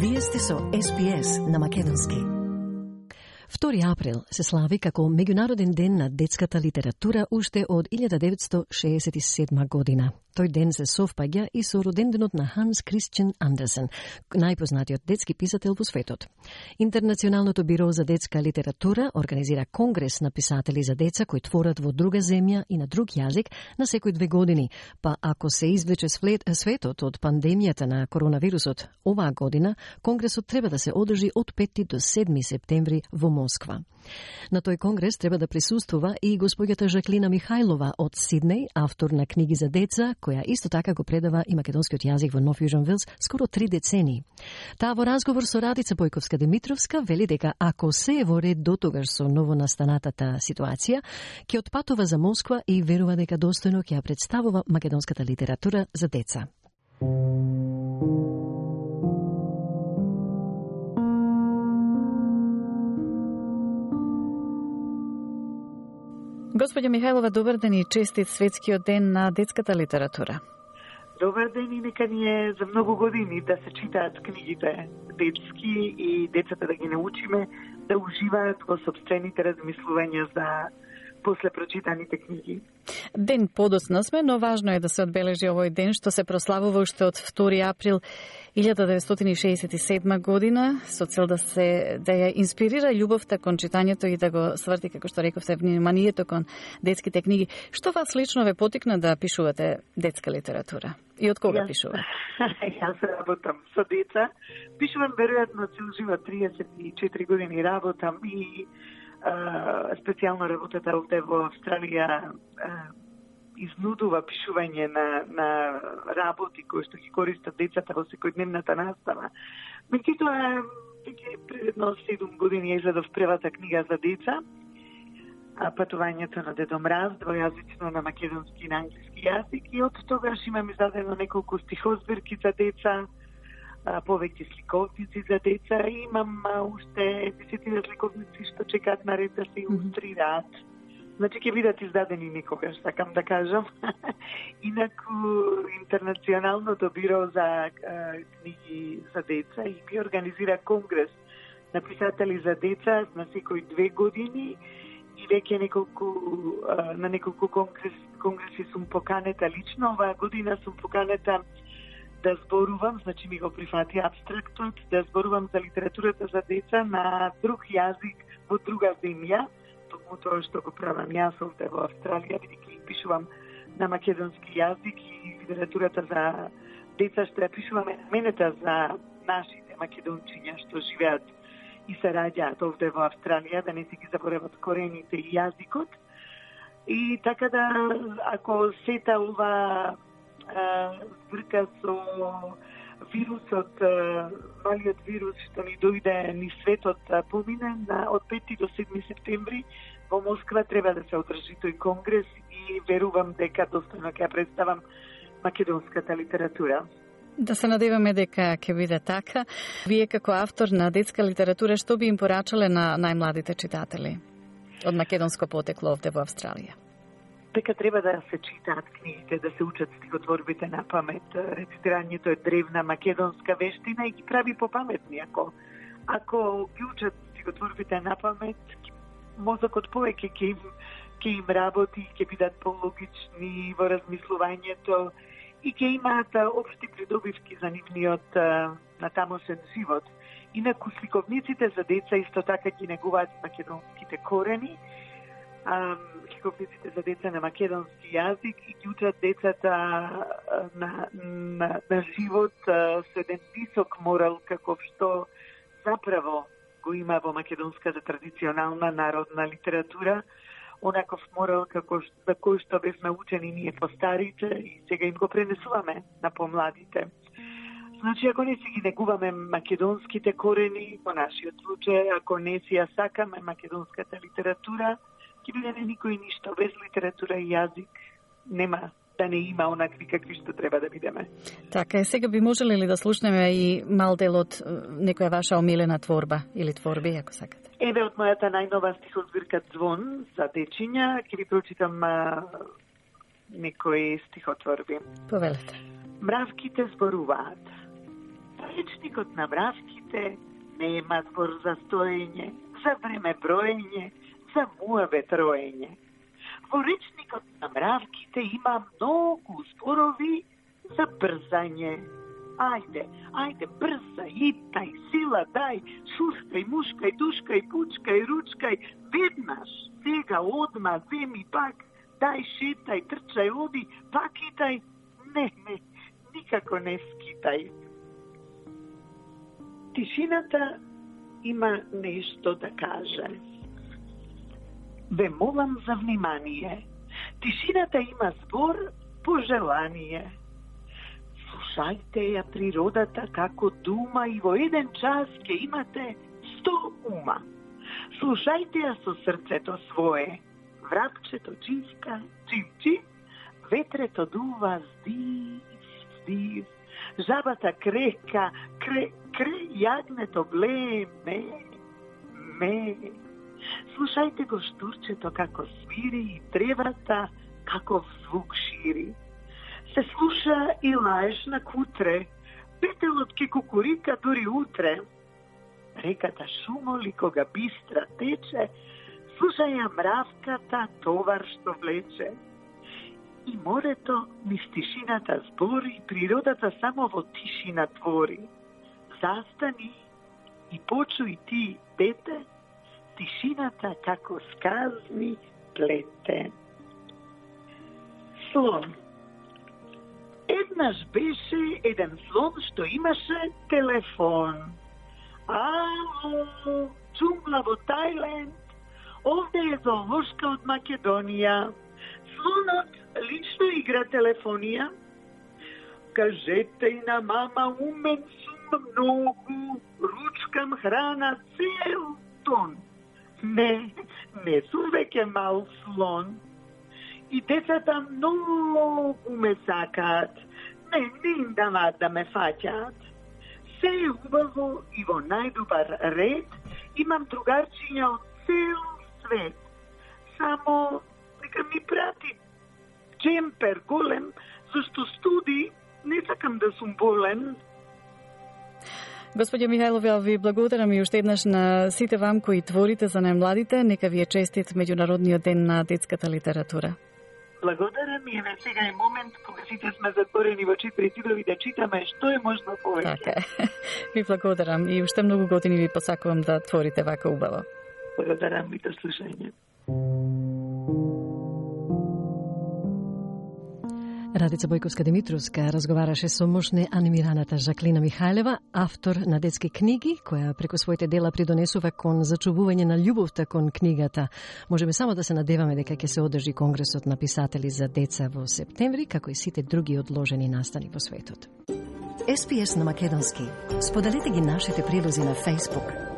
Вие сте со SPS на македонски. 2 април се слави како Меѓународен ден на детската литература уште од 1967 година. Тој ден се совпаѓа и со роденденот на Ханс Кристиан Андерсен, најпознатиот детски писател во светот. Интернационалното биро за детска литература организира конгрес на писатели за деца кои творат во друга земја и на друг јазик на секој 2 години, па ако се извлече светот од пандемијата на коронавирусот, оваа година конгресот треба да се одржи од 5 до 7 септември во Москва. На тој конгрес треба да присуствува и госпоѓата Жаклина Михајлова од Сиднеј, автор на книги за деца, која исто така го предава и македонскиот јазик во Нов Јужен Велс скоро 3 децении. Таа во разговор со Радица Бојковска-Демитровска вели дека ако се е во ред дотогаш со новонастанатата ситуација, ќе отпатува за Москва и верува дека достојно ќе ја представува македонската литература за деца. Господја Михајлова, добар ден и честит светскиот ден на детската литература. Добар ден и нека ни е за многу години да се читаат книгите детски и децата да ги научиме да уживаат во сопствените размислувања за после прочитаните книги. Ден подоцна сме, но важно е да се одбележи овој ден што се прославува уште од 2 април 1967 година со цел да ја инспирира љубовта кон читањето и да го сврти, како што рековте, вниманието кон детските книги. Што вас лично ве потикна да пишувате детска литература? И од кога пишува? Јас работам со деца. Пишувам веројатно цел живот, 34 години работам и специјално работата овде во Австралија изнудува пишување на работи кои што ги користат децата во секојдневната настава. Меѓутоа, пред едно 7 години изледов првата книга за деца, Патувањето на Дедо Мраз, двојазично на македонски и на англиски јазик, и од тогаш имам издадено неколку стихозбирки за деца, повеќе сликовници за деца и имам уште 10 сликовници што чекаат на ред да се илустрираат. Значи ќе бидат издадени некогаш, сакам да кажам. Инаку Интернационалното биро за книги за деца и би организира конгрес на писатели за деца на секој 2 години и веќе на неколку конгреси сум поканета лично. Оваа година сум поканета да зборувам, значи ми го прифати абстрактот, да зборувам за литературата за деца на друг јазик во друга земја, токму тоа што го правам јас овде во Австралија, бидејќи пишувам на македонски јазик и литературата за деца што ја пишуваме наменета за нашите македончиња што живеат и се раѓаат овде во Австралија, да не се ги заборават корените и јазикот. И така да, ако сета ова збрка со вирусот, малиот вирус што ни дојде ни светот помине од 5 до 7 септември во Москва треба да се одржи тој конгрес и верувам дека достојно ќе представам македонската литература. Да се надеваме дека ќе биде така. Вие како автор на детска литература што би им порачале на најмладите читатели од македонско потекло овде во Австралија? Дека треба да се читаат книгите, да се учат стихотворбите на памет. Рецитирањето е древна македонска вештина и ги прави попаметни. Ако ги учат стихотворбите на памет, мозокот повеќе ќе им работи, ќе бидат пологични во размислувањето и ќе имаат општи придобивки за нивниот натамошен живот. Инаку сликовниците за деца исто така ги негуваат македонските корени, сликовниците за деца на македонски јазик и ги учат децата на живот со еден висок морал каков што заправо го има во македонската традиционална народна литература, онаков морал за кој што бевме учени ние постарите и сега им го пренесуваме на помладите. Значи, ако не си ги негуваме македонските корени, во нашиот случај, ако не си ја сакаме македонската литература, ќе биде никој ништо. Без литература и јазик нема да не има онакви какви што треба да бидеме. Така е, сега би можеле ли да слушнеме и мал дел од некоја ваша омилена творба или творби, ако сакате? Еве од мојата најнова стихозбирка Звон за дечиња, ќе ви прочитам некои стихотворби. Повелете. Мравките зборуваат. Речникот на мравките Слушајте, нема збор за стоење, за време броење, за муавет роење. Во речникот на мравките има многу зборови за брзање. Ајде, брза, итај, сила дај, шускај, мушкај, душкај, пучкај, ручкај, веднаш, сега, одма, земи пак, дај, шетај, трчај, оди, пак итај, не, никако не скитај. Тишината има нешто да каже. Ве молам за внимание. Тишината има збор пожелание. Слушајте ја природата како дума и во еден час ќе имате 100 ума. Слушајте ја со срцето свое. Врапчето чивка, чив, ветрето дува здив, жабата крека, кре, јагнето бле, ме. Слушајте го штурчето како свири и тревата како звук шири. Се слуша и лаеш на кутре, петелот ке кукурика дури утре. Реката шумоли кога бистра тече, слушај ја мравката товар што влече. И морето низ тишината збори, природата само во тишина твори. Застани и почуј ти, дете, тишината како сказни плете. Слон. Еднаш беше еден слон што имаше телефон. Ало, джунгла во Тајланд, овде е зоолошка од Македонија. Слонот лично игра телефонија. Кажете и на мама, умен сум многу, ручкам храна цел тон. Не сум веќе мал слон. И децата многу ме сакаат. Не им даваат да ме фаќаат. Се е убаво и во најдобар ред. Имам другарчиња од цел свет. Само нека ми прати джемпер голем, зашто студи, не сакам да сум болен. Господја Михајлов, ја ви благодарам и уште еднаш на сите вам кои творите за најмладите. Нека ви е честит меѓународниот ден на детската литература. Благодарам и еве сега е момент кога сите сме затворени во четири зидови да читаме што е можно повеќе. Така. Ви благодарам и уште многу години ви посакувам да творите вака убаво. Благодарам и до слушање. Радица Бојковска-Димитровска разговараше со мошне анимираната Жаклина Михајлева, автор на детски книги, која преку своите дела придонесува кон зачувување на љубовта кон книгата. Можеме само да се надеваме дека ќе се одржи Конгресот на писатели за деца во септември, како и сите други одложени настани во светот. SPS на македонски. Споделете ги нашите прилози на Facebook.